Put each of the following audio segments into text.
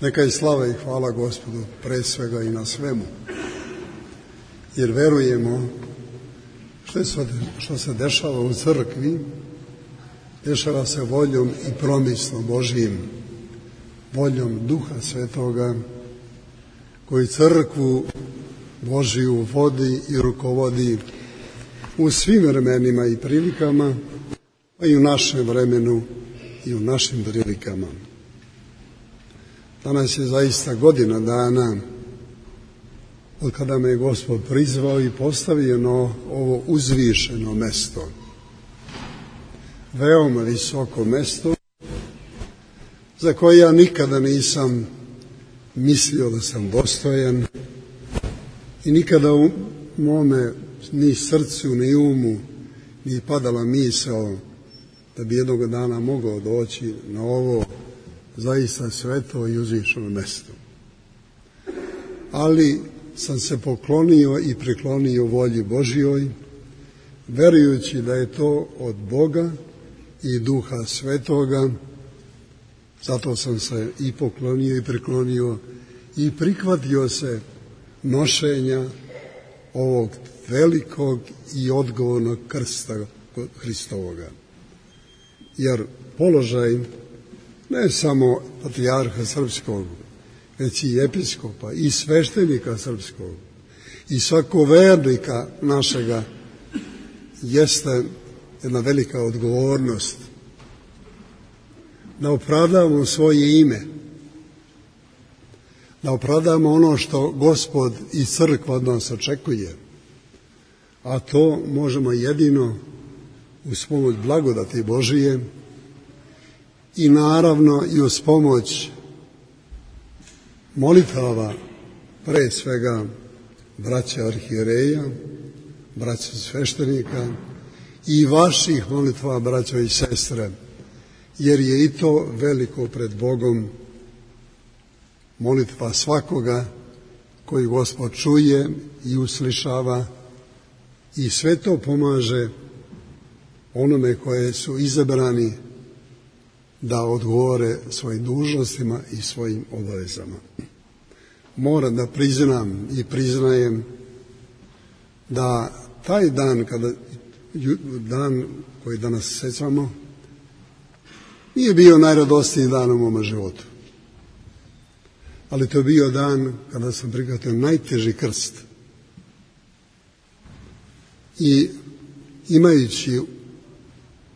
Neka je slava i hvala Gospodu pre svega i na svemu, jer verujemo što se dešava u crkvi, dešava se voljom i promislom Božijim, voljom Duha Svetoga, koji crkvu Božiju vodi i rukovodi u svim vremenima i prilikama, pa i u našem vremenu i u našim prilikama. Danas je zaista godina dana od kada me je Gospod prizvao i postavio na ovo uzvišeno mesto. Veoma visoko mesto za koje ja nikada nisam mislio da sam dostojan i nikada u mome ni srcu ni umu ni padala misao da bi jednog dana mogao doći na ovo zaista sveto i uzvišeno mesto. Ali sam se poklonio i priklonio volji Božjoj, verujući da je to od Boga i Duha Svetoga. Zato sam se i poklonio i priklonio i prihvatio se nošenja ovog velikog i odgovornog krsta Hristovoga. Jer položaj ne samo patrijarha srpskog, već i episkopa i sveštenika srpskog i svakog vernika našega jeste jedna velika odgovornost da opravdamo svoje ime, da opravdamo ono što Gospod i crkva od nas očekuje, a to možemo jedino uz pomoć blagodati Božije i naravno i uz pomoć molitava, pre svega braća arhijereja, braća sveštenika i vaših molitva, braćo i sestre, jer je i to veliko pred Bogom, molitva svakoga koji Gospod čuje i uslišava, i sve to pomaže onome koje su izabrani da odgovore svojim dužnostima i svojim obavezama. Moram da priznam i priznajem da taj dan, dan koji danas sećamo, nije bio najradosniji dan u mome životu. Ali to je bio dan kada sam prihvatio najteži krst. I imajući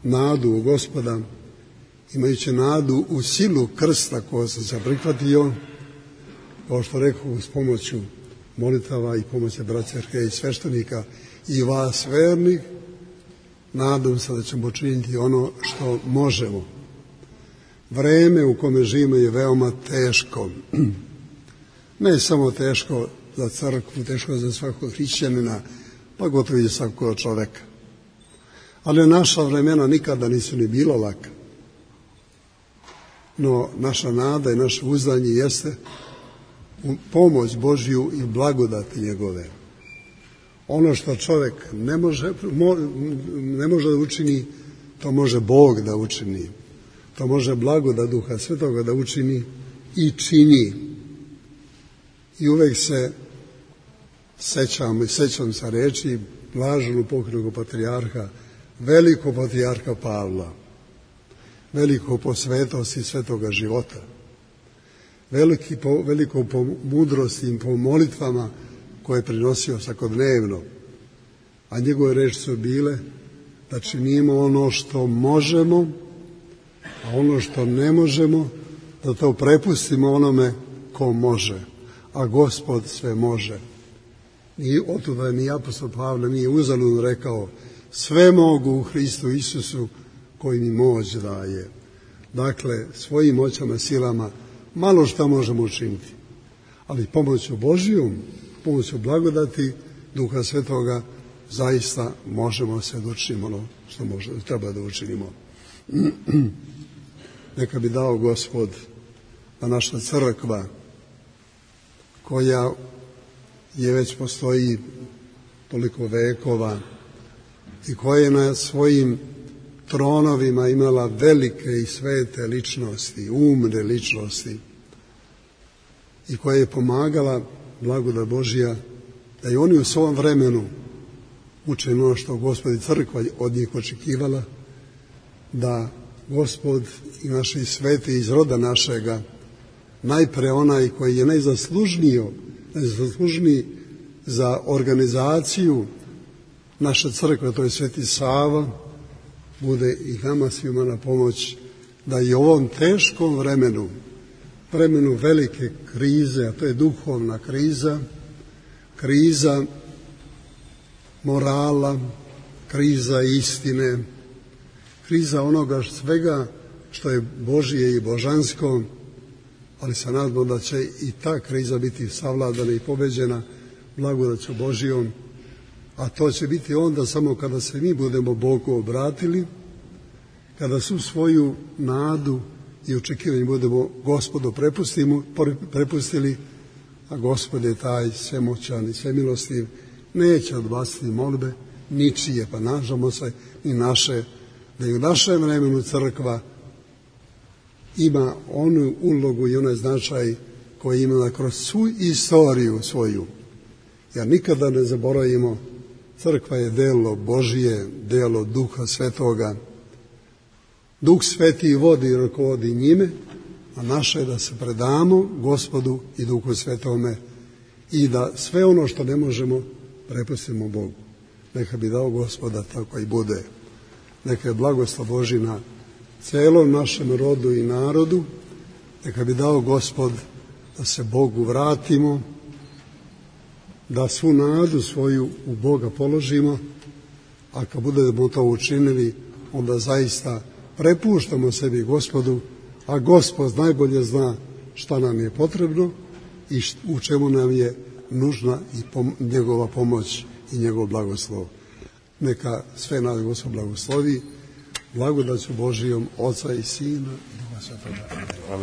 nadu u Gospoda, imajući nadu u silu krsta koja sam se prihvatio, kao što rekao, uz pomoću molitava i pomoći braća arhijereja i sveštenika i vas vernih, nadam se da ćemo učiniti ono što možemo. Vreme u kome živimo je veoma teško. Ne samo teško za crkvu, teško za svakog hrišćanina, pa gotovo i za svakog čoveka. Ali naša vremena nikada nisu ni bila laka. No naša nada i naše uzdanje jeste u pomoć Božju i blagodati njegove. Ono što čovek ne može da učini, to može Bog da učini. To može blagodat Duha Svetoga da učini i čini. I uvek se sećam sa reči blaženog pokojnog patrijarha, velikog patrijarha Pavla, veliko po svetosti svetoga života, veliko po mudrosti i po molitvama koje je prinosio svakodnevno, a njegove reči su bile da činimo ono što možemo, a ono što ne možemo da to prepustimo onome ko može, a Gospod sve može. I otuda ni apostol Pavle nije uzaludno rekao: sve mogu u Hristu Isusu koji mi moć daje. Dakle, svojim moćama, silama malo šta možemo učiniti, ali pomoću Božijom, pomoću blagodati Duha Svetoga zaista možemo se da učinimo ono što treba da učinimo. Neka bi dao Gospod da naša crkva, koja je već postoji toliko vekova i koja je na svojim tronovima imala velike i svete ličnosti, umne ličnosti, i koja je pomagala, blagodat Božja, da i oni u svom vremenu uče ono što Gospod i crkva od njih očekivala, da Gospod i naši sveti iz roda našega, najpre onaj koji je najzaslužniji za organizaciju naše crkve, to je Sveti Sava, bude i nama svima na pomoć da i u ovom teškom vremenu velike krize, a to je duhovna kriza, kriza morala, kriza istine, kriza onoga svega što je Božije i božansko, ali se nadamo da će i ta kriza biti savladana i pobeđena blagodaću Božijom, a to će biti onda samo kada se mi budemo Bogu obratili, kada su svoju nadu i očekivanje budemo Gospodu prepustili, a Gospod je taj svemoćan i svemilostiv, neće odbaciti molbe ničije, pa nažamo se i naše, da i u našem vremenu crkva ima onu ulogu i onaj značaj koji je imala kroz svu istoriju svoju. Jer nikada ne zaboravimo, crkva je delo Božije, delo Duha Svetoga. Duh Sveti vodi i rukovodi njime, a naše je da se predamo Gospodu i Duhu Svetome i da sve ono što ne možemo prepustimo Bogu. Neka bi dao Gospoda tako i bude. Neka je blagoslov Božji na celom našem rodu i narodu. Neka bi dao Gospod da se Bogu vratimo, da svu nadu svoju u Boga položimo, a kad budemo to učinili, onda zaista prepuštamo sebi Gospodu, a Gospod najbolje zna šta nam je potrebno i u čemu nam je nužna i njegova pomoć i njegov blagoslov. Neka sve nas Gospod blagoslovi, blagodaću Božijom, Oca i Sina i Duha Svetoga.